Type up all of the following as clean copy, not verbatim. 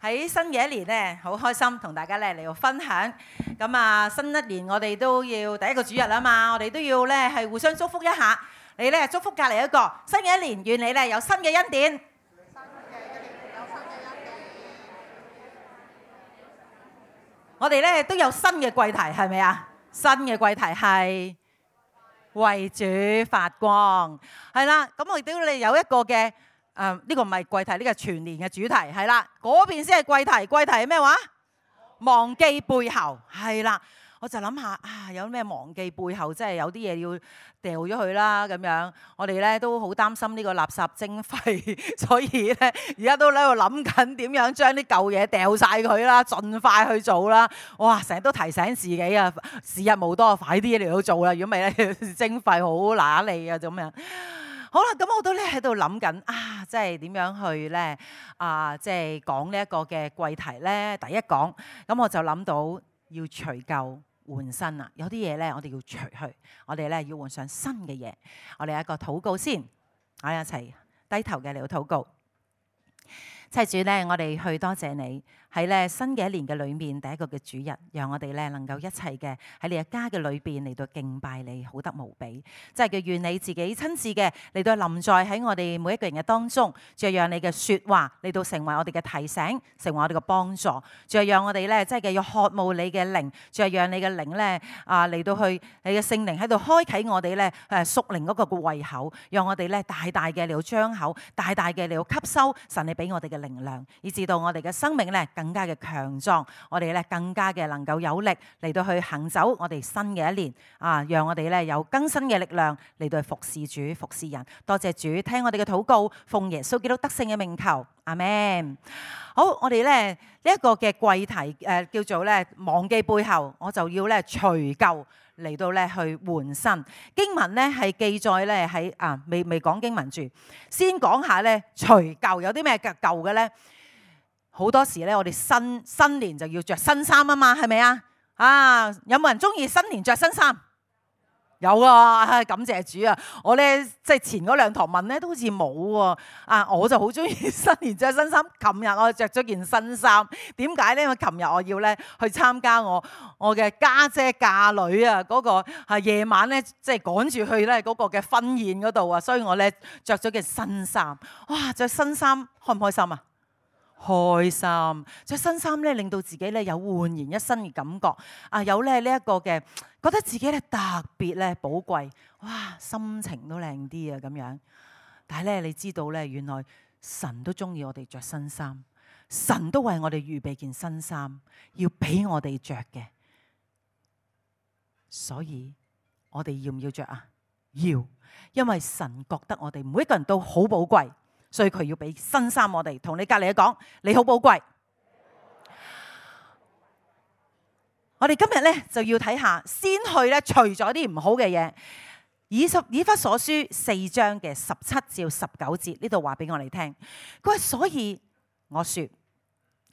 喺新嘅一年咧，好開心同大家咧嚟到分享。咁啊，新一年我哋都要第一個主日啊嘛，我哋都要咧係互相祝福一下。你咧祝福隔離一個，新嘅一年願你咧有新嘅恩典。我哋咧都有新嘅季題，係咪啊？新嘅季題係為主發光，係啦。咁我亦都你有一個嘅呢個唔係季題，呢個係全年嘅主題，係啦。嗰邊先係季題，季題係咩話？忘記背後，係啦。我就諗下啊，有咩忘記背後，即係有啲嘢要掉咗佢啦咁樣。我哋咧都好擔心呢個垃圾徵費，所以咧而家都喺度諗緊點樣將啲舊嘢掉晒佢啦，盡快去做啦。哇！成日都提醒自己啊，時日無多，快啲嚟到做啦。如果唔係咧，徵費好揦脷啊咁樣。好啦，咁我都咧喺度諗緊啊，即係點樣去咧即係講呢一個嘅季題咧。第一講，咁我就諗到要除舊換新啦，有啲嘢咧我哋要除去，我哋咧要換上新嘅嘢。我哋有一個禱告先，我哋一齊低頭嘅嚟到禱告。親主咧，我哋去多謝你喺咧新嘅一年嘅裏面第一個嘅主日，讓我哋咧能夠一齊嘅喺你嘅家嘅裏邊嚟到敬拜你，好得無比。即係嘅願你自己親自嘅嚟到臨在喺我哋每一個人嘅當中，仲係讓你嘅説話嚟到成為我哋嘅提醒，成為我哋嘅幫助。仲係讓我哋咧即係嘅要渴慕你嘅靈，仲係讓你嘅靈咧嚟到去你嘅聖靈喺度開啟我哋咧屬靈嗰個嘅胃口，讓我哋咧大大嘅嚟到張口，大大嘅嚟到吸收神你俾我哋嘅靈量，以至到我哋嘅生命咧更加嘅強壯，我哋咧更加嘅能夠有力嚟到去行走我哋新嘅一年啊！讓我哋咧有更新嘅力量嚟到去服侍主、服侍人。多謝主，聽我哋嘅禱告，奉耶穌基督得勝嘅名求，阿們。好，我哋咧呢一個嘅季題叫做咧忘記背後，我就要咧除舊嚟到咧去換新。經文咧係記載咧喺未講經文住，先講下咧除舊有啲咩舊嘅咧。好多時咧，我哋新年就要着新衫啊嘛，係咪啊？有冇人中意新年着新衫？有啊，感謝主啊！我咧即係前嗰兩堂問咧，都好似冇喎。我就好中意新年着新衫。琴日我着咗件新衫，點解咧？因為琴日我要咧去參加我嘅家姐嫁女啊，嗰個夜晚咧即係趕住去咧嗰個嘅婚宴嗰度啊，所以我咧着咗件新衫。哇！着新衫開唔開心啊？開心，着新衫咧，令到自己咧有煥然一新嘅感覺。有咧呢一個嘅，覺得自己咧特別咧寶貴，哇，心情都靚啲啊咁樣。但係咧，你知道咧，原來神都中意我哋着新衫，神都為我哋預備件新衫，要俾我哋着嘅。所以我哋要唔要着啊？要，因為神覺得我哋每一個人都好寶貴。所以佢要俾新衫我哋，同你隔離講，你好寶貴。我哋今日咧就要睇下，先去咧除咗啲唔好嘅嘢。以弗所書4章嘅17至19節呢度話俾我哋聽，佢話所以我說。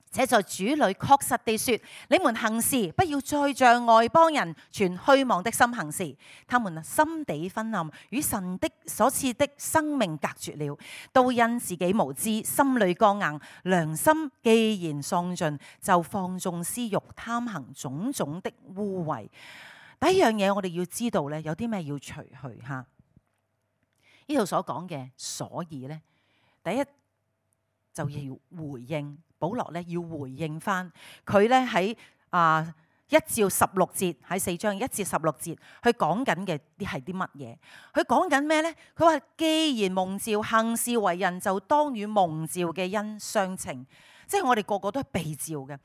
且在主裏確實地說，你們行事不要再像外邦人存虛妄的心行事，他們心地昏暗，與神的所賜的生命隔絕了，都因自己無知，心裏剛硬，良心既然喪盡，就放縱私欲，貪行種種的污穢。第一樣嘢我哋要知道咧，有啲咩要除去吓？呢度所講嘅，所以咧，第一就要回應。保羅咧要回應翻佢咧喺1至16節，喺4章1至16節，佢講緊嘅啲係啲乜嘢？佢講緊咩咧？佢話既然蒙召行事為人，就當與蒙召嘅恩相稱，即係我哋個個都係被召嘅。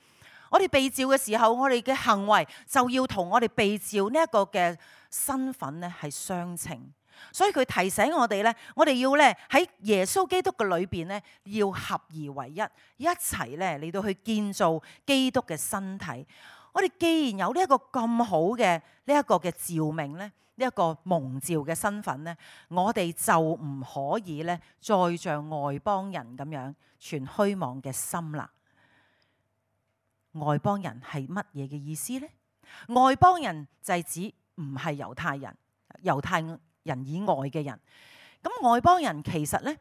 我哋被召嘅時候，我哋嘅行為就要同我哋被召呢一個嘅身份咧係相稱。所以佢提醒我哋咧，我哋要咧喺耶穌基督嘅裏邊咧，要合而為一，一齊咧嚟到去建造基督嘅身體。我哋既然有呢一個咁好嘅呢一個嘅召命咧，呢一個蒙召嘅身份咧，我哋就唔可以咧再像外邦人咁樣存虛妄嘅心啦。外邦人係乜嘢嘅意思咧？外邦人就係指唔係猶太人，猶太人以外嘅人。咁外邦人其實咧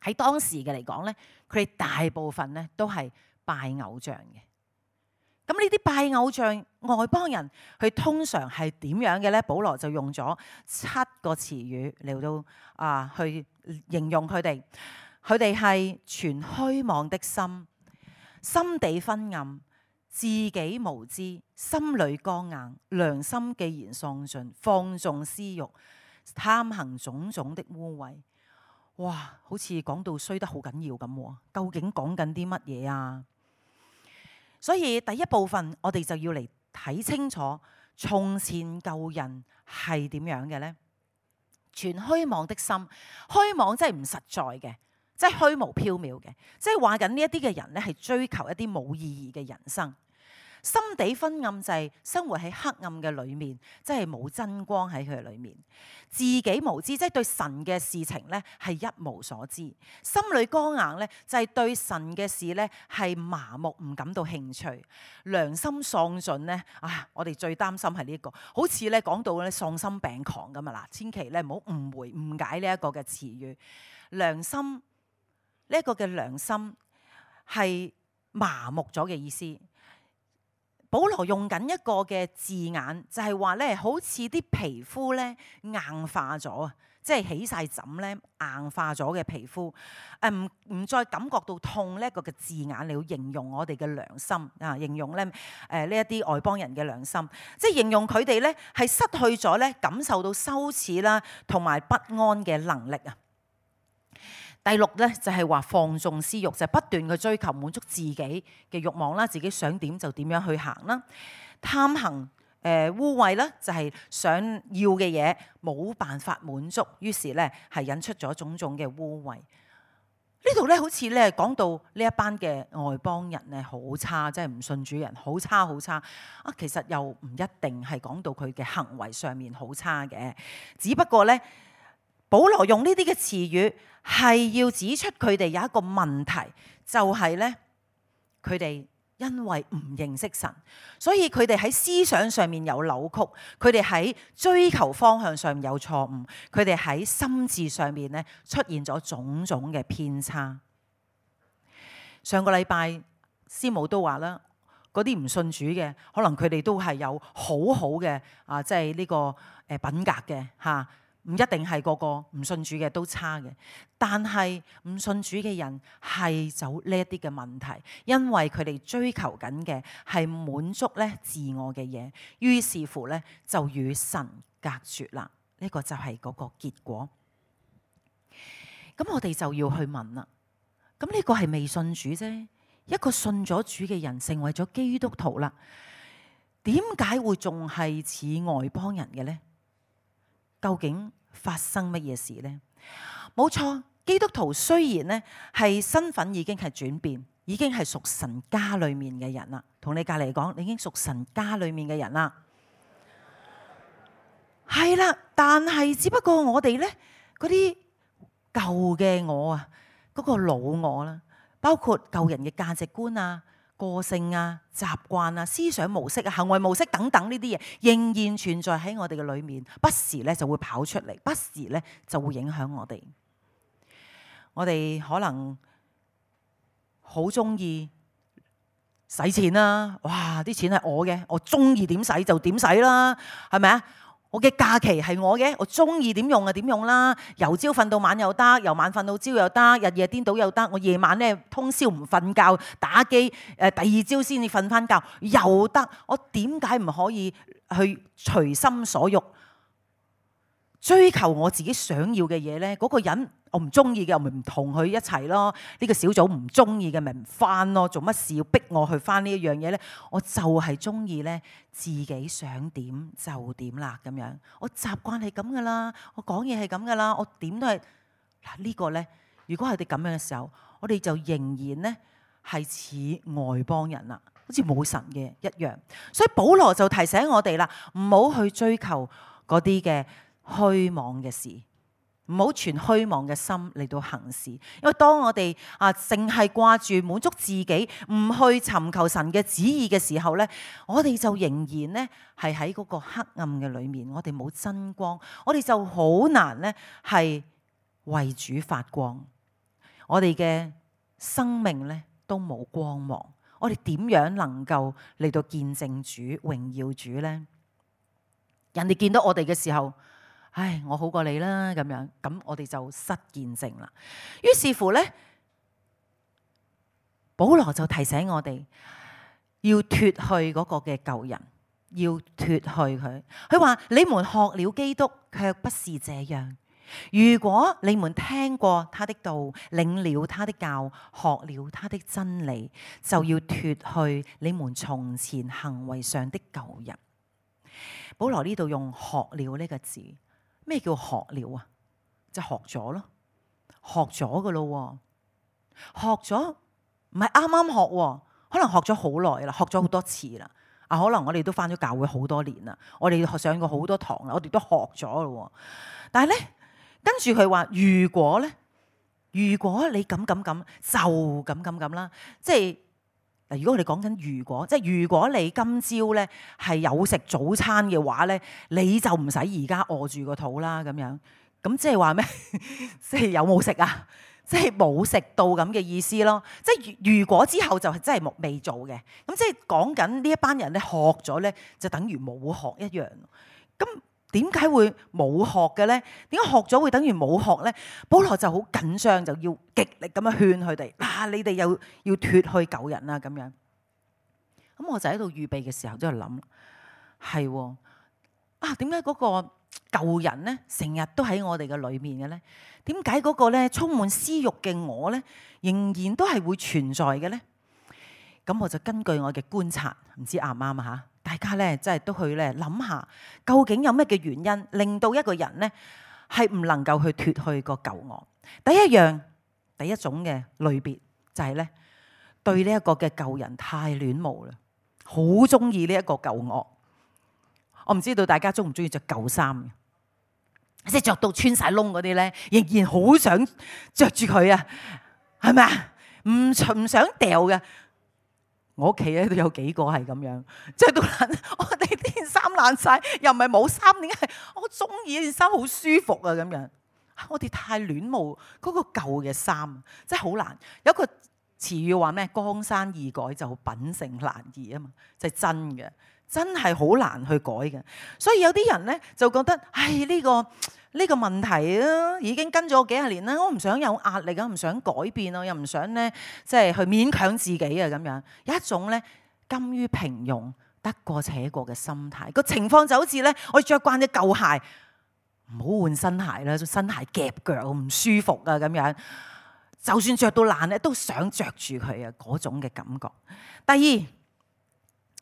喺當時嘅嚟講咧，佢哋大部分咧都係拜偶像嘅。咁呢啲拜偶像外邦人，佢通常係點樣嘅咧？保羅就用咗7個詞語嚟到去形容佢哋。佢哋係存虛妄的心，心地昏暗，自己無知，心裏剛硬，良心既然喪盡，放縱私慾，貪行種種的污穢。哇，好似講到衰得好緊要咁，究竟講緊啲乜嘢啊？所以第一部分我哋就要嚟睇清楚從前舊人係點樣嘅呢？存虛妄的心，虛妄即係唔實在嘅，即係虛無縹緲嘅，即係話緊呢一啲嘅人咧係追求一啲冇意義嘅人生。心地昏暗就係生活喺黑暗嘅裏面，即係冇真光喺佢裏面。自己無知，即係對神嘅事情咧係一無所知。心裏剛硬咧，就係對神嘅事咧係麻木，唔感到興趣。良心喪盡咧，我哋最擔心係呢一個，好似咧講到咧喪心病狂咁啊！嗱，千祈咧唔好誤解呢一個嘅詞語。良心呢一個嘅良心係麻木咗嘅意思。保羅用緊一個嘅字眼，就係話咧，好似啲皮膚咧硬化咗啊，即係起晒疹咧硬化咗嘅皮膚，唔再感覺到痛呢一個嘅字眼嚟形容我哋嘅良心啊，形容咧呢一啲外邦人嘅良心，即係形容佢哋咧係失去咗咧感受到羞恥啦同埋不安嘅能力啊。第6咧就係話放縱私慾，就係不斷去追求滿足自己嘅慾望啦，自己想點就點樣去行啦。貪行污穢啦，就係想要嘅嘢冇辦法滿足，於是咧係引出咗種種嘅污穢。呢度咧好似咧講到呢一班嘅外邦人咧好差，即係唔信主人好差好差啊！其實又唔一定係講到佢嘅行為上面好差嘅，只不過咧保羅用呢啲嘅詞語係要指出佢哋有一個問題，就係咧佢哋因為唔認識神，所以佢哋喺思想上面有扭曲，佢哋喺追求方向上有錯誤，佢哋喺心智上面咧出現咗種種嘅偏差。上個禮拜師母都話啦，嗰啲唔信主嘅，可能佢哋都係有好好嘅即係呢個品格嘅嚇。唔一定係個個唔信主嘅都差嘅，但係唔信主嘅人係走呢一啲嘅問題，因為佢哋追求緊嘅係滿足咧自我嘅嘢，於是乎咧就與神隔絕啦。呢個就係嗰個結果。咁我哋就要去問啦。咁呢個係未信主啫，一個信咗主嘅人成為咗基督徒啦，點解會仲係似外邦人嘅呢？究竟發生乜嘢事呢？冇錯，基督徒雖然呢係身份已經係轉變，已經係屬神家裏面嘅人啦。同你隔籬講，你已經屬神家裏面嘅人啦。係啦，但係只不過我哋呢嗰啲舊嘅我啊，嗰個老我啦，包括舊人嘅價值觀啊、個性啊、習慣啊、思想模式啊、行為模式等等呢啲嘢，仍然存在喺我哋嘅裏面，不時咧就會跑出嚟，不時咧就會影響我哋。我哋可能好中意使錢啦，哇！啲錢係我嘅，我中意點使就點使啦，係咪啊？我嘅假期係我嘅，我中意點用就點用啦。由朝瞓到晚又得，由晚瞓到朝又得，日夜顛倒又得。我夜晚咧通宵唔瞓覺打機，第二朝先至瞓翻覺又得。我點解唔可以去隨心所欲追求我自己想要嘅嘢呢？嗰個人我唔中意嘅，我咪唔同佢一齊咯。呢個小組唔中意嘅，咪唔翻咯。做乜事要逼我去翻呢一樣嘢呢？我就係中意呢，自己想點就點啦咁樣。我習慣係咁噶啦，我講嘢係咁噶啦，我點都係嗱呢個呢。如果係哋咁樣嘅時候，我哋就仍然呢係似外邦人啦，好似冇神嘅一樣。所以保羅就提醒我哋啦，唔好去追求嗰啲嘅虛妄嘅事，唔好存虛妄嘅心嚟到行事。因為當我哋淨係掛住滿足自己，唔去尋求神嘅旨意嘅時候呢，我哋就仍然呢係喺嗰個黑暗嘅裏面，我哋冇真光，我哋就好難呢係為主發光，我哋嘅生命呢都冇光芒。我哋點樣能夠嚟到見證主、榮耀主呢？人哋見到我哋嘅時候，唉，我好過你啦咁樣，咁我哋就失見證啦。於是乎呢，保羅就提醒我哋要脫去嗰個嘅舊人，要脫去佢。佢話：你們學了基督，卻不是這樣。如果你們聽過他的道，領了他的教，學了他的真理，就要脫去你們從前行為上的舊人。保羅呢度用學了呢個字，咩叫學了啊？就學咗咯，學咗噶咯，學咗唔係啱啱學，可能學咗好耐啦，學咗好多次啦。啊，可能我哋都返咗教會好多年啦，我哋上過好多堂啦，我哋都學咗咯。但係咧，跟住佢話如果你咁就咁啦，即係。嗱，如果我哋講緊如果你今朝咧係有食早餐嘅話咧，你就唔使而家餓住個肚啦咁樣。咁即係話咩？即係有冇食啊？即係冇食到咁嘅意思咯。即係如果之後就係真係未做嘅。咁即係講緊呢一班人咧學咗咧，就等於冇學一樣。咁點解會冇學嘅咧？點解學咗會等於冇學咧？保羅就好緊張，就要極力咁樣勸佢哋。嗱，你哋又要脫去舊人啦咁樣。咁我就喺度預備嘅時候，都喺度諗，係啊，點解嗰個舊人咧成日都喺我哋嘅裏面嘅咧？點解嗰個咧充滿私欲嘅我咧，仍然都係會存在嘅咧？咁我就根據我嘅觀察，唔知啱唔啱啊嚇？大家咧真係都去咧諗下，究竟有咩嘅原因令到一個人咧係唔能夠去脫去個舊我？第一種嘅類別就係咧對呢一個嘅舊人太戀慕啦，好中意呢一個舊我。我唔知道大家中唔中意着舊衫嘅，即係着到穿晒窿嗰啲咧，仍然好想着住佢啊，係咪啊？唔想掉嘅。我屋企咧都有幾個係咁樣，着到爛，我哋啲衫爛晒，又唔係冇衫，點解我中意呢件衫好舒服啊咁樣？我哋太戀慕嗰個舊嘅衫，真係好難。有一個詞語話咩？江山易改，就品性難移啊嘛，就係真嘅，真係好難去改嘅。所以有啲人咧就覺得，唉，呢個問題啊，已經跟咗我幾十年啦，我唔想有壓力啊，唔想改變啊，又唔想咧即係去勉強自己啊咁樣。有一種咧甘於平庸、得過且過嘅心態。個情況就好似咧，我着慣隻舊鞋，唔好換新鞋啦，新鞋夾腳唔舒服啊咁樣。就算着到爛咧，都想着住佢啊嗰種嘅感覺。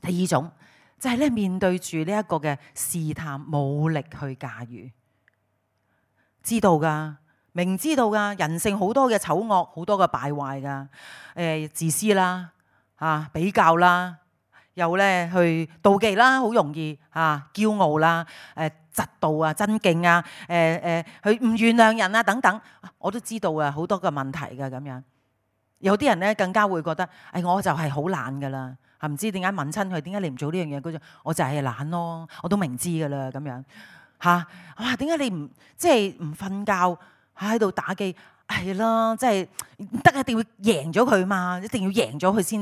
第二種就係咧面對住呢一個嘅試探，冇力去駕馭。知道噶，明知道噶，人性好多嘅醜惡，好多嘅敗壞噶，自私啦，比較啦，又咧去妒忌啦，好容易驕傲啦，嫉妒啊，爭競啊，佢唔原諒人啊等等，我都知道啊，好多嘅問題噶咁樣。有啲人咧更加會覺得，我就係好懶噶啦，唔知點解問親佢，點解你唔做呢樣嘢？佢就我就係懶咯，我都明知噶啦咁樣。哇！點解你唔即係唔瞓覺喺度打機？係啦，即係唔得，一定要贏咗佢嘛，一定要贏咗佢先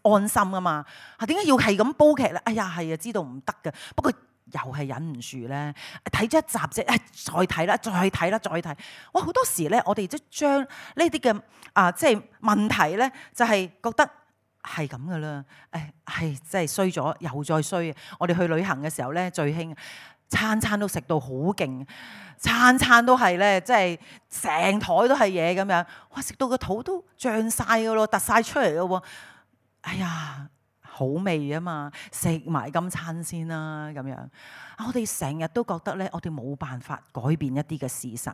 安心啊嘛。點解要係咁煲劇咧？哎呀，係啊，知道唔得嘅，不過又係忍唔住咧。睇咗一集啫，再睇啦，再睇啦，再睇。哇！好多時咧，我哋即係將呢啲嘅即係問題咧，就係覺得係咁噶啦。係真係衰咗又再衰。我哋去旅行嘅時候咧，最興。餐都食到好勁，餐都係咧，即係成台都係嘢咁樣。哇！食到個肚都脹晒噶咯，突晒出嚟咯喎。哎呀，好味啊嘛，食埋今餐先啦咁樣。我哋成日都覺得咧，我哋冇辦法改變一啲嘅事實。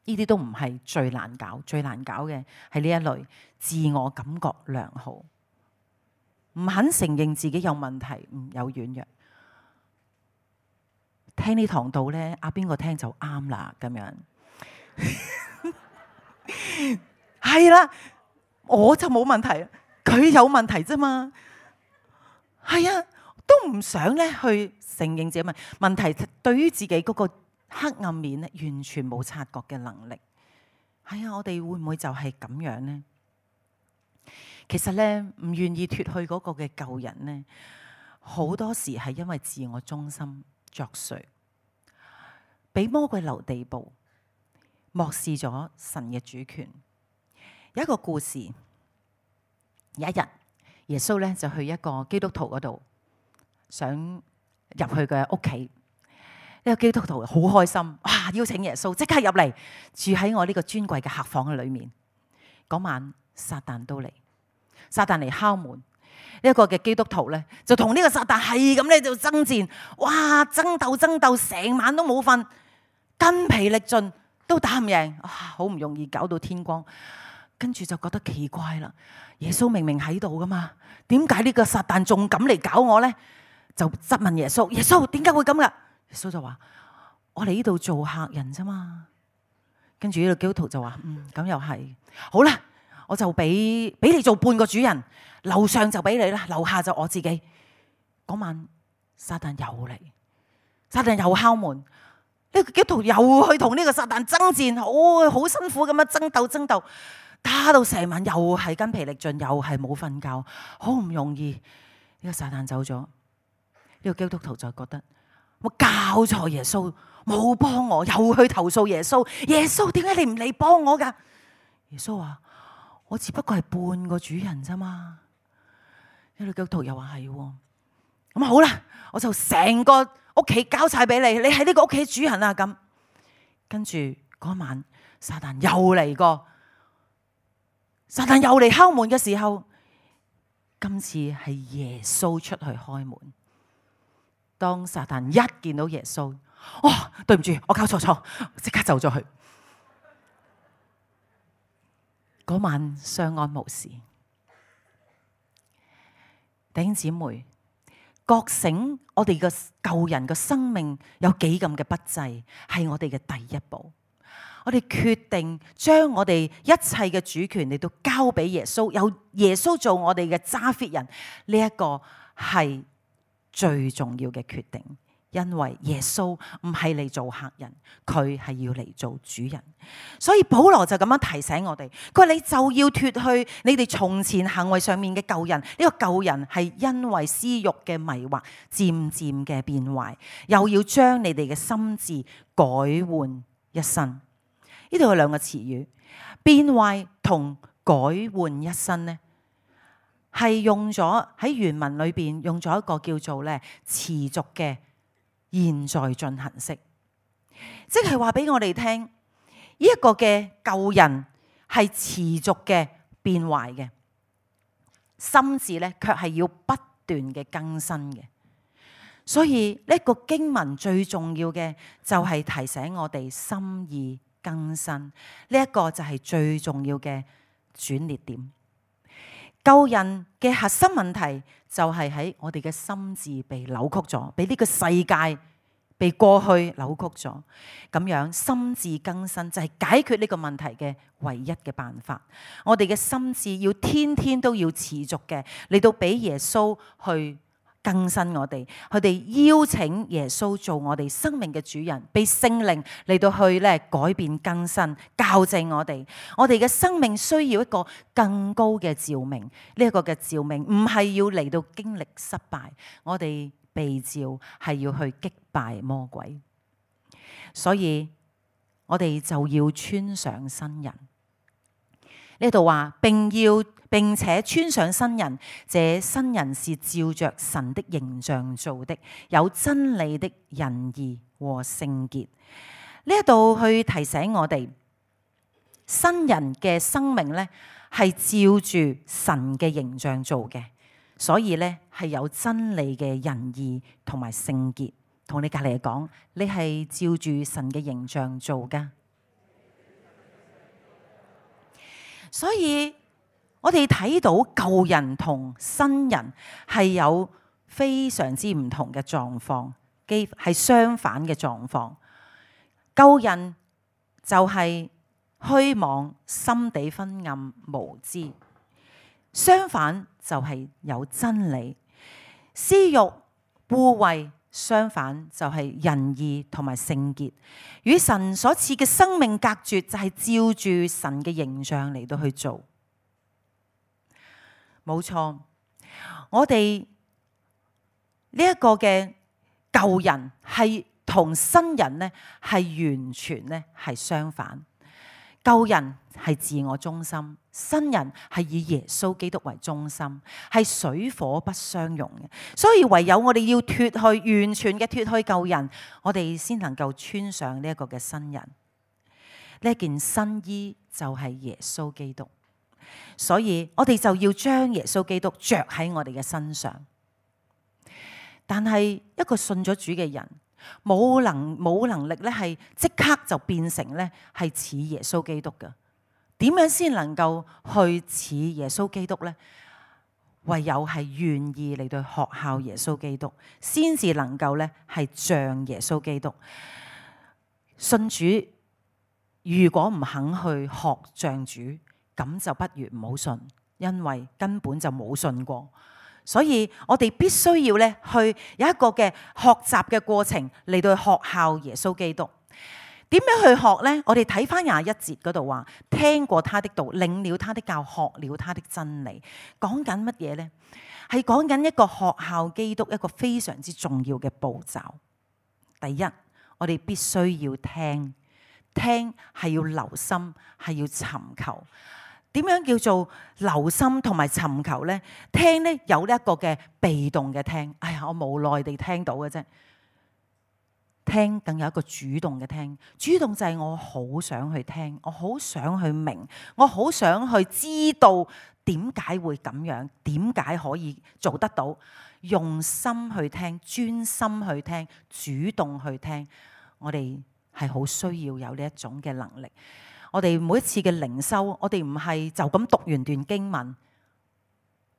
呢啲都唔係最難搞，最難搞嘅係呢一類自我感覺良好，唔肯承認自己有問題，有軟弱。聽呢堂道咧，邊個聽就啱啦咁樣。係啦，我就冇問題，佢有問題啫嘛。係啊，都唔想咧去承認自己問題，對於自己嗰個黑暗面咧，完全冇察覺嘅能力。係啊，我哋會唔會就係咁樣呢？其實咧，唔願意脫去嗰個嘅舊人咧，好多時係因為自我中心作祟，俾魔鬼留地步，漠視咗神嘅主權。有一個故事，有一日耶穌咧就去一個基督徒嗰度，想入去嘅屋企。呢個基督徒好開心，哇！邀請耶穌即刻入嚟住喺我呢個尊貴嘅客房嘅裏面。嗰晚撒旦都嚟。撒旦嚟敲門，一個嘅基督徒咧就同呢個撒旦係咁咧就爭戰，哇！爭鬥，成晚都冇瞓，筋疲力盡都打唔贏，好唔容易搞到天光。跟住就覺得奇怪啦，耶穌明明喺度噶嘛，點解呢個撒旦仲敢嚟搞我咧？就質問耶穌：耶穌點解會咁噶？耶穌就話：我嚟呢度做客人啫嘛。跟住呢個基督徒就話：咁又係，好啦。我就俾你做半個主人，樓上就俾你啦，樓下就我自己。嗰晚撒旦又嚟，撒旦又敲門，呢個基督徒又去同呢個撒旦爭戰，好辛苦咁樣爭鬥，打到成晚又係筋疲力盡，又係冇瞓覺，好唔容易呢個撒旦走咗。呢個基督徒就覺得我教錯耶穌，冇幫我，又去投訴耶穌。耶穌點解你唔嚟幫我噶？耶穌話：我只不過係半個主人咋嘛？呢個基督徒又話係，咁好啦，我就成個屋企交晒俾你，你係呢個屋企主人啊！咁跟住嗰晚，撒旦又嚟過，撒旦又嚟敲門嘅時候，今次係耶穌出去開門。當撒旦一見到耶穌，對唔住，我搞錯，即刻走咗去。嗰晚相安無事。弟兄姊妹，覺醒我哋嘅舊人嘅生命有幾咁嘅不濟，係我哋嘅第一步。我哋決定將我哋一切嘅主權嚟到交俾耶穌，由耶穌做我哋嘅揸 fit 人，呢一個係最重要嘅決定。因為耶穌唔係嚟做客人，佢係要嚟做主人。所以保羅就咁樣提醒我哋，佢話你就要脫去你哋從前行為上面嘅舊人。呢個舊人係因為私欲嘅迷惑漸漸嘅變壞，又要將你哋嘅心智改換一新。呢度有兩個詞語，變壞同改換一新呢，係用咗喺原文裏邊用咗一個叫做咧持續嘅現在進行式，即係話俾我哋聽，呢一個嘅舊人係持續嘅變壞嘅，心智咧卻係要不斷嘅更新嘅。所以呢個經文最重要嘅就係提醒我哋心意更新，呢一個就係最重要嘅轉捩點。舊人嘅核心問題就係喺我哋嘅心智被扭曲咗，被呢個世界被過去扭曲咗。咁樣心智更新就係解決呢個問題嘅唯一嘅辦法。我哋嘅心智要天天都要持續嘅嚟到俾耶穌去更新我哋，佢哋邀請耶穌做我哋生命嘅主人，被聖靈嚟到去咧改變更新，校正我哋。我哋嘅生命需要一個更高嘅照明，呢一個嘅照明唔係要嚟到經歷失敗，我哋被召係要去擊敗魔鬼。所以我哋就要穿上新人。呢度話並且穿上新人，這新人是照着神的形象做的，有真理的仁義和聖潔。呢一度去提醒我哋，新人嘅生命呢係照住神嘅形象做嘅，所以呢係有真理嘅仁義同埋聖潔。同你隔籬講，你係照住神嘅形象做噶。所以我哋睇到舊人同新人係有非常之唔同嘅狀況，係相反嘅狀況。舊人就係虛妄、心地昏暗、無知；相反就係有真理。私欲、污穢，相反就係仁義同埋聖潔。與神所賜嘅生命隔絕，就係照住神嘅形象嚟到去做。冇錯，我哋呢一個嘅舊人係同新人呢係完全呢係相反。舊人係自我中心，新人係以耶穌基督為中心，係水火不相容嘅。所以唯有我哋要脫去，完全嘅脫去舊人，我哋先能夠穿上呢一個嘅新人。呢件新衣就係耶穌基督，所以我哋就要將耶穌基督着喺我哋嘅身上。但係一個信咗主嘅人，冇能力咧，係即刻就變成咧係似耶穌基督嘅。點樣先能夠去似耶穌基督呢？唯有係願意嚟到學效耶穌基督，先至能夠咧係像耶穌基督。信主如果唔肯去學像主，咁就不如唔好信，因為根本就冇信過。所以我哋必須要咧去有一個嘅學習嘅過程嚟到學效耶穌基督。點樣去學呢？我哋睇翻21節嗰度話，聽過他的道，領了他的教，學了他的真理。講緊乜嘢呢？係講緊一個學效基督一個非常之重要嘅步驟。第一，我哋必須要聽，聽係要留心，係要尋求。點樣叫做留心同埋尋求呢？聽呢有呢一個嘅被動嘅聽，哎呀，我無奈地聽到嘅啫。聽更有一個主動嘅聽，主動就係我好想去聽，我好想去明，我好想去知道點解會咁樣，點解可以做得到，用心去聽，專心去聽，主動去聽。我哋係好需要有呢一種嘅能力。我哋每一次嘅靈修，我哋唔係就咁讀完段經文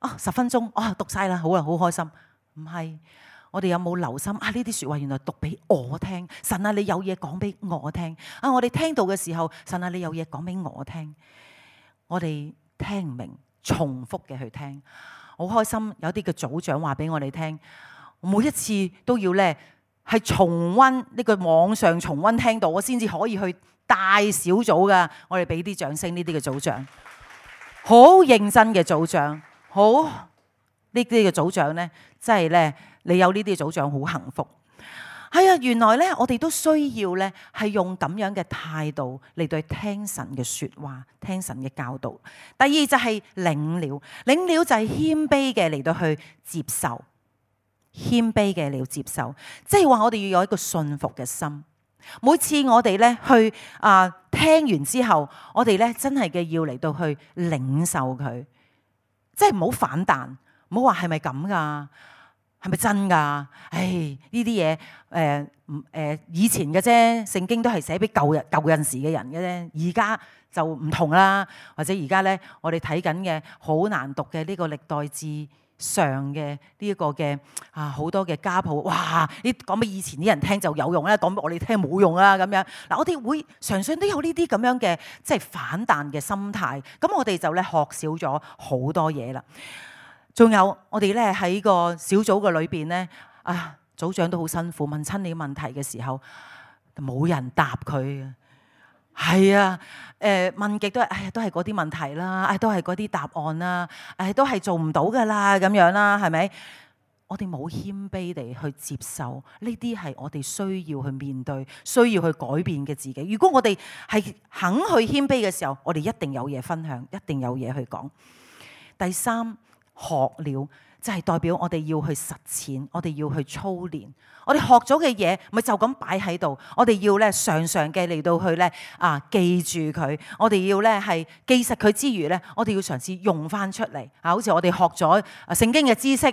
10分鐘讀晒啦，好啦，好開心。唔係，我哋有冇留心呢啲說話原來讀俾我聽，神啊，你有嘢講俾我聽啊！我哋聽到嘅時候，神啊，你有嘢講俾我聽。我哋聽唔明，重複嘅去聽，好開心。有啲嘅組長話俾我哋聽，每一次都要咧係重溫呢個網上重溫聽到，我先至可以去帶小組噶。我哋俾啲掌聲呢啲嘅組長，好認真嘅組長，好呢啲嘅組長咧，真係咧，你有呢啲組長好幸福。係啊，原來咧我哋都需要咧係用咁樣嘅態度嚟對聽神嘅說話，聽神嘅教導。第二就係領了，領了就係謙卑嘅嚟到去接受，謙卑嘅嚟到接受，即係話我哋要有一個信服嘅心。每次我哋咧去聽完之後，我哋咧真係嘅要嚟到去領受佢，即係唔好反彈，唔好話係咪咁噶，係咪真噶？呢啲嘢以前嘅啫，聖經都係寫俾舊陣時嘅人嘅啫，而家就唔同啦。或者而家咧，我哋睇緊嘅好難讀嘅呢個歷代志上嘅呢一個嘅好多嘅家譜，哇！你講俾以前啲人聽就有用啦，講俾我哋聽冇用啦咁樣。嗱，我哋會常常都有呢啲咁樣嘅即係反彈嘅心態，咁我哋就咧學少咗好多嘢啦。仲有我哋咧喺個小組嘅裏邊咧，組長都好辛苦，問親你問題嘅時候冇人答佢。係啊，問極都係，都係嗰啲問題啦，都係嗰啲答案啦，都係做唔到噶啦，咁樣啦，係咪？我哋冇謙卑地去接受，呢啲係我哋需要去面對、需要去改變嘅自己。如果我哋係肯去謙卑嘅時候，我哋一定有嘢分享，一定有嘢去講。第三，學了就係代表我哋要去實踐，我哋要去操練。我哋學咗嘅嘢，咪就咁擺喺度。我哋要咧常常嘅嚟到去咧記住佢。我哋要咧係記實佢之餘咧，我哋要嘗試用翻出嚟。好似我哋學咗聖經嘅知識，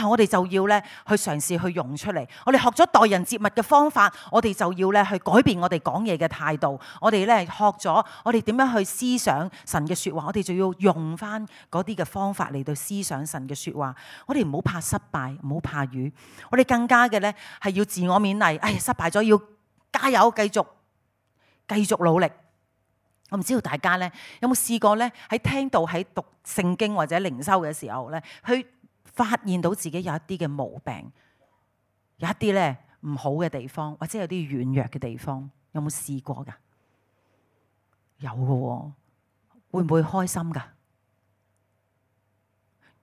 我哋就要咧去嘗試去用出嚟。我哋學咗待人接物嘅方法，我哋就要咧去改變我哋講嘢嘅態度。我哋咧學咗我哋點樣去思想神嘅說話，我哋就要用翻嗰啲嘅方法嚟到思想神嘅說話。我哋唔好怕失敗，唔好怕瘀。我哋更加嘅咧係要自我勉勵，失敗咗要加油，繼續努力。我唔知道大家咧有冇試過咧喺聽到喺讀聖經或者靈修嘅時候咧，去發現到自己有一啲嘅毛病，有一啲咧唔好嘅地方，或者有啲軟弱嘅地方，有冇試過噶？有嘅喎，會唔會開心噶？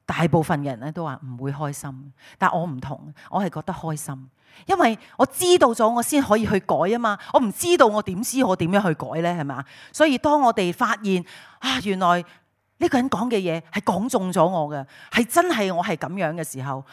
大部分嘅人咧都話唔會開心，但我唔同，我係覺得開心，因為我知道咗我先可以去改啊嘛，我唔知道我點知我點樣去改咧，係咪？所以當我哋發現啊，原來呢個人講嘅嘢係講中咗我嘅，係真係我係咁樣嘅時候，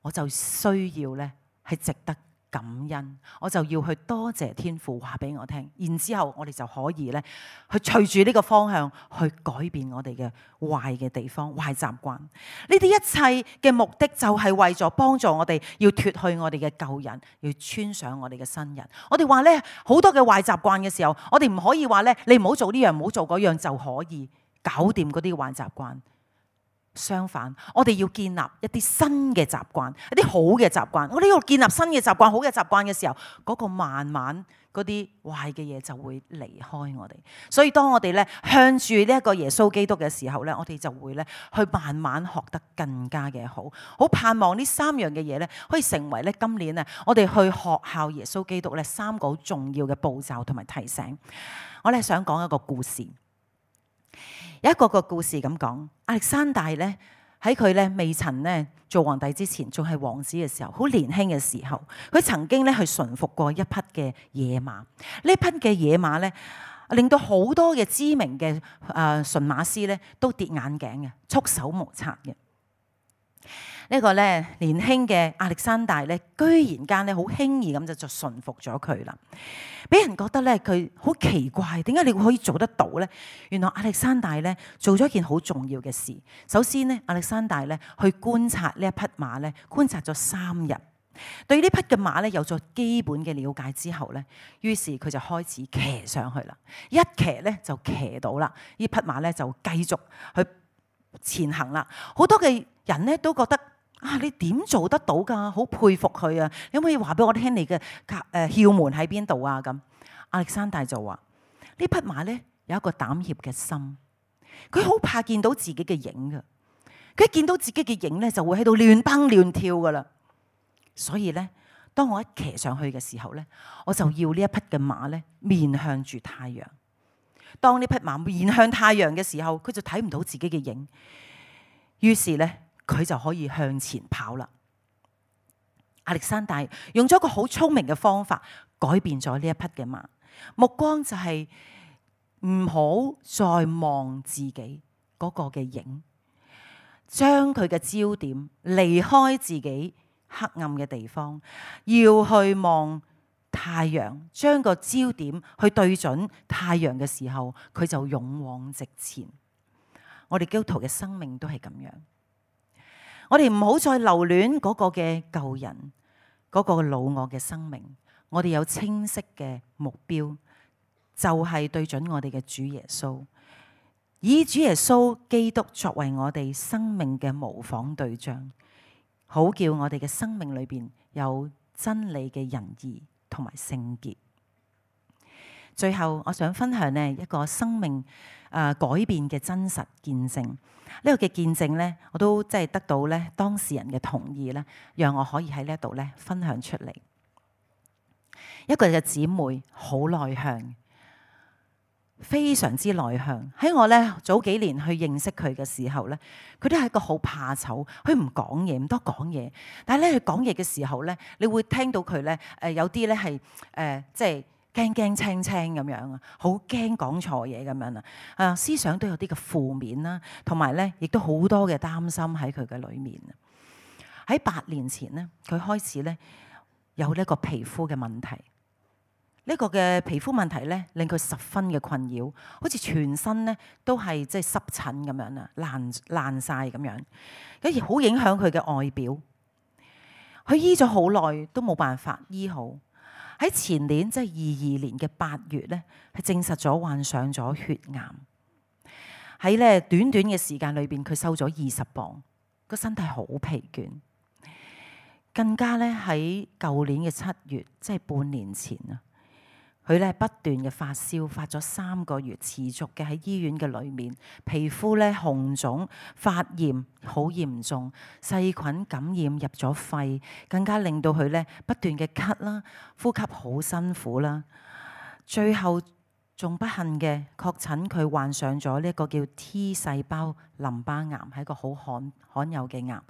我就需要咧係值得感恩，我就要去多謝天父話俾我聽，然之後我哋就可以咧去隨住呢個方向去改變我哋嘅壞嘅地方、壞習慣。呢啲一切嘅目的就係為咗幫助我哋要脫去我哋嘅舊人，要穿上我哋嘅新人。我哋話咧好多嘅壞習慣嘅時候，我哋唔可以話咧你唔好做呢樣，唔好做嗰樣就可以搞掂嗰啲壞習慣。相反，我哋要建立一啲新嘅習慣，一啲好嘅習慣。我哋要建立新嘅習慣、好嘅習慣嘅時候，嗰個慢慢嗰啲壞嘅嘢就會離開我哋。所以當我哋咧向住呢一個耶穌基督嘅時候咧，我哋就會咧去慢慢學得更加嘅好。好盼望呢三樣嘅嘢咧，可以成為咧今年啊，我哋去學效耶穌基督咧三個好重要嘅步驟同埋提醒。我哋想講一個故事。有一個故事咁講，亞歷山大咧喺佢咧未曾咧做皇帝之前，仲係王子嘅時候，好年輕嘅時候，佢曾經咧去馴服過一匹嘅野馬。呢匹嘅野馬咧，令到好多嘅知名嘅馴馬師咧都跌眼鏡嘅，束手無策嘅。呢個咧年輕嘅亞歷山大咧，居然間咧好輕易咁就馴服咗佢啦。俾人覺得咧佢好奇怪，點解你會可以做得到咧？原來亞歷山大咧做咗一件好重要嘅事。首先咧，亞歷山大咧去觀察呢一匹馬咧，觀察咗3日，對呢匹嘅馬咧有咗基本嘅了解之後咧，於是佢就開始騎上去啦。一騎咧就騎到啦，呢匹馬咧就繼續去前行啦。好多嘅人咧都覺得啊，你點做得到㗎？好佩服佢啊！你可唔可以話俾我聽你嘅竅門喺邊度啊？咁亞歷山大就話：呢匹馬咧有一個膽怯嘅心，佢好怕見到自己嘅影㗎。佢一見到自己嘅影咧，就會喺度亂蹦亂跳㗎啦。所以咧，當我一騎上去嘅時候咧，我就要呢一匹嘅馬咧面向住太陽。當呢匹馬面向太陽嘅時候，佢就睇唔到自己嘅影，於是咧，佢就可以向前跑啦。亞歷山大用咗一個好聰明嘅方法，改變咗呢一匹嘅馬。目光就係唔好再望自己嗰個嘅影，將佢嘅焦點離開自己黑暗嘅地方，要去望太陽，將個焦點去對準太陽嘅時候，佢就勇往直前。我哋基督徒嘅生命都係咁樣。我哋唔好再留戀嗰個嘅舊人，嗰個老我嘅生命。我哋有清晰嘅目標，就係對準我哋嘅主耶穌，以主耶穌基督作為我哋生命嘅模仿對象，好叫我哋嘅生命裏邊有真理嘅仁義同埋聖潔。最後，我想分享呢一個生命改變嘅真實見證。呢個嘅見證咧，我都即係得到咧當事人嘅同意咧，讓我可以喺呢一度咧分享出嚟。一個嘅姊妹好內向，非常之內向。喺我咧早幾年去認識佢嘅時候咧，佢都係一個好怕醜，佢唔講嘢，唔多講嘢。但係咧佢講嘢嘅時候咧，你會聽到佢咧有啲咧係即係驚驚青青咁樣啊，好驚講錯嘢咁樣啊，思想都有啲嘅負面啦，同埋咧亦都好多嘅擔心喺佢嘅裏面啊。喺8年前咧，佢開始咧有呢個皮膚嘅問題。呢個嘅皮膚問題咧，令佢十分嘅困擾，好似全身咧都係即係濕疹咁樣啊，爛晒咁樣，跟住好影響佢嘅外表。佢醫咗好耐都冇辦法醫好。喺前年即係22年嘅8月咧，係證實咗患上咗血癌。喺咧短短嘅時間裏邊，佢瘦咗20磅，個身體好疲倦。更加咧喺舊年嘅7月，即係半年前啊，佢咧不斷嘅發燒，發咗3個月，持續嘅喺醫院嘅裏面，皮膚咧紅腫、發炎好嚴重，細菌感染入咗肺，更加令到佢咧不斷嘅咳啦，呼吸好辛苦啦。最後仲不幸嘅確診佢患上咗呢一個叫 T 細胞淋巴癌，係一個好罕有嘅癌，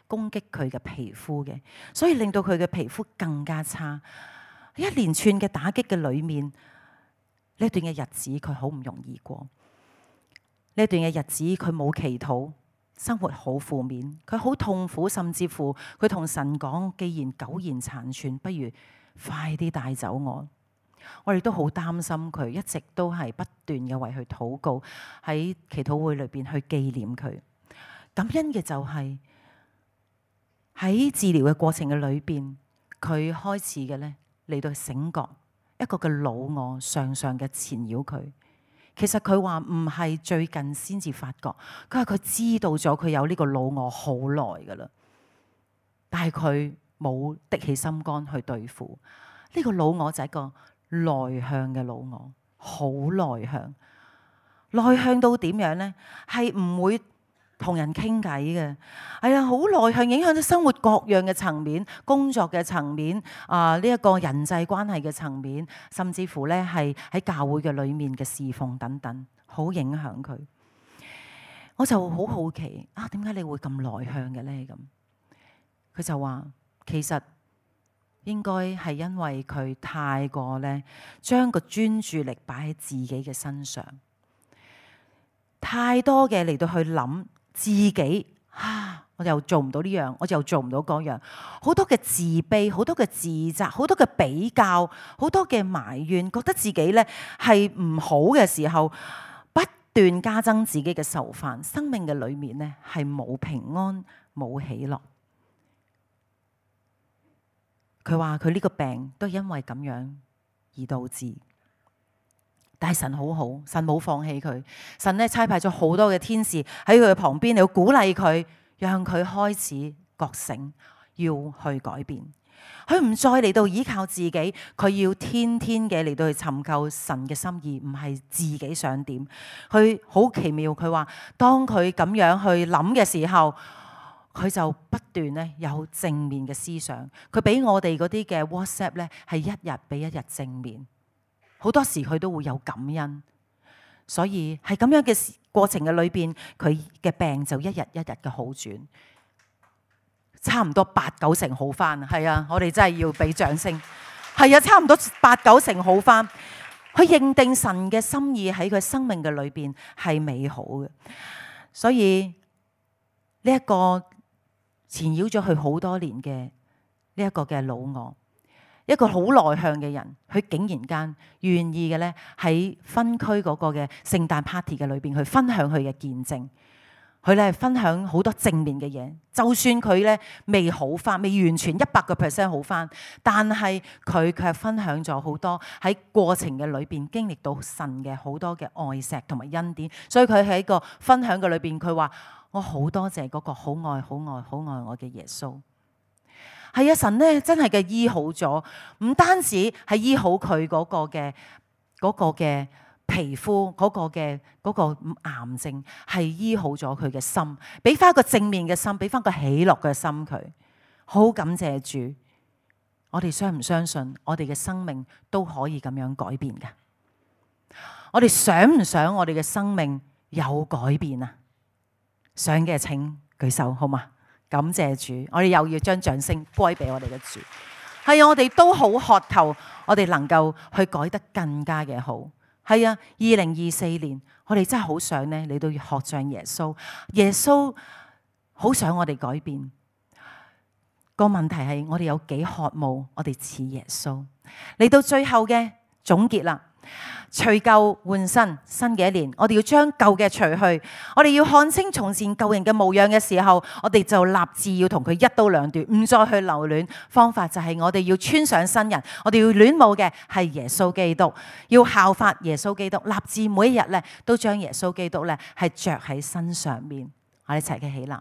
攻擊佢嘅皮膚嘅，所以令到佢嘅皮膚更加差。一連串嘅打擊嘅裏面，呢段嘅日子佢好唔容易過。呢段嘅日子佢冇祈禱，生活好負面，佢好痛苦，甚至乎佢同神講：既然苟延殘喘，不如快啲帶走我。我哋都好擔心佢，一直都係不斷嘅為佢禱告，喺祈禱會裏邊去紀念佢。感恩嘅就係喺治療嘅過程嘅裏邊，佢開始嘅咧嚟到醒覺一個嘅老我常常嘅纏繞佢。其實佢話唔係最近先至發覺，佢話佢知道咗佢有呢個老我好耐噶啦，但係佢冇的起心肝去對付呢個老我，就係一個內向嘅老我，好內向，內向到點樣呢？係唔會同人傾偈嘅，係啊，好內向，影響到生活各樣嘅層面，工作嘅層面，呢一個人際關係嘅層面，甚至乎咧係喺教會嘅裏面嘅侍奉等等，好影響佢。我就好好奇啊，點解你會咁內向嘅咧？咁佢就話其實應該係因為佢太過咧將個專注力擺喺自己嘅身上，太多嘅嚟到去諗自己我又做唔到呢樣，我又做唔到嗰樣，好多嘅自卑，好多嘅自責，好多嘅比較，好多嘅埋怨，覺得自己咧係唔好嘅時候，不斷加增自己嘅愁煩，生命嘅裏面咧係冇平安，冇喜樂。佢話佢呢個病都係因為咁樣而導致。但係神好好，神冇放棄佢，神咧差派咗好多嘅天使喺佢嘅旁邊嚟鼓勵佢，讓佢開始覺醒，要去改變。佢唔再嚟到依靠自己，佢要天天嘅嚟到去尋求神嘅心意，唔係自己想點。佢好奇妙，佢話當佢咁樣去諗嘅時候，佢就不斷咧有正面嘅思想。佢俾我哋嗰啲嘅 WhatsApp 咧係一日比一日正面。好多時佢都會有感恩，所以係咁樣嘅過程嘅裏邊，佢嘅病就一日一日嘅好轉，差唔多8-9成好翻。係啊，我哋真係要俾掌聲。係啊，差唔多8-9成好翻。佢認定神嘅心意喺佢生命嘅裏邊係美好嘅，所以呢一個纏繞咗佢好多年嘅呢一個嘅老我。一個好內向嘅人，佢竟然間願意嘅咧喺分區嗰個嘅聖誕 party 嘅裏邊去分享佢嘅見證，佢咧分享好多正面嘅嘢。就算佢咧未好翻，未完全100% 好翻，但係佢卻分享咗好多喺過程嘅裏邊經歷到神嘅好多嘅愛錫同埋恩典。所以佢喺個分享嘅裏邊，佢話我好多謝嗰個好愛我嘅耶穌。係啊，神咧真係嘅醫好咗，唔單止係醫好佢嗰個嘅皮膚嗰個癌症，係醫好咗佢嘅心，俾翻一個正面嘅心，俾翻個喜樂嘅心佢。好感謝主，我哋相唔相信我哋嘅生命都可以咁樣改變㗎？我哋想唔想我哋嘅生命有改變啊？想嘅請舉手好嗎？感謝主，我哋又要將掌聲歸俾我哋嘅主。係啊，我哋都好渴求，我哋能夠去改得更加嘅好。係啊，2024年，我哋真係好想咧，你都要學像耶穌。耶穌好想我哋改變。個問題係我哋有幾渴慕，我哋似耶穌。嚟到最後嘅總結啦。除舊換新，新嘅一年，我哋要將舊嘅除去，我哋要看清從前舊人嘅模樣嘅時候，我哋就立志要同佢一刀兩斷，唔再去留戀。方法就係我哋要穿上新人，我哋要戀慕嘅係耶穌基督，要效法耶穌基督，立志每一日咧都將耶穌基督咧係着喺身上面。我哋一齊嘅起立，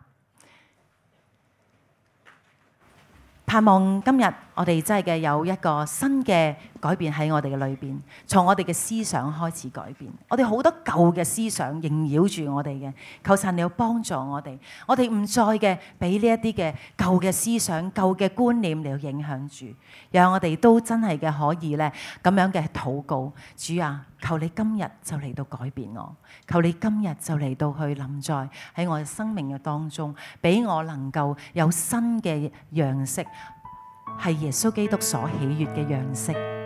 盼望今日我哋真係嘅有一個新嘅改變喺我哋嘅裏邊，從我哋嘅思想開始改變。我哋好多舊嘅思想縈繞住我哋嘅，求神你要幫助我哋，我哋唔再嘅俾呢一啲嘅舊嘅思想、舊嘅觀念嚟影響住，讓我哋都真係嘅可以咧咁樣嘅禱告。主啊，求你今日就嚟到改變我，求你今日就嚟到去臨在喺我嘅生命嘅當中，俾我能夠有新嘅樣式，係耶穌基督所喜悅嘅樣式。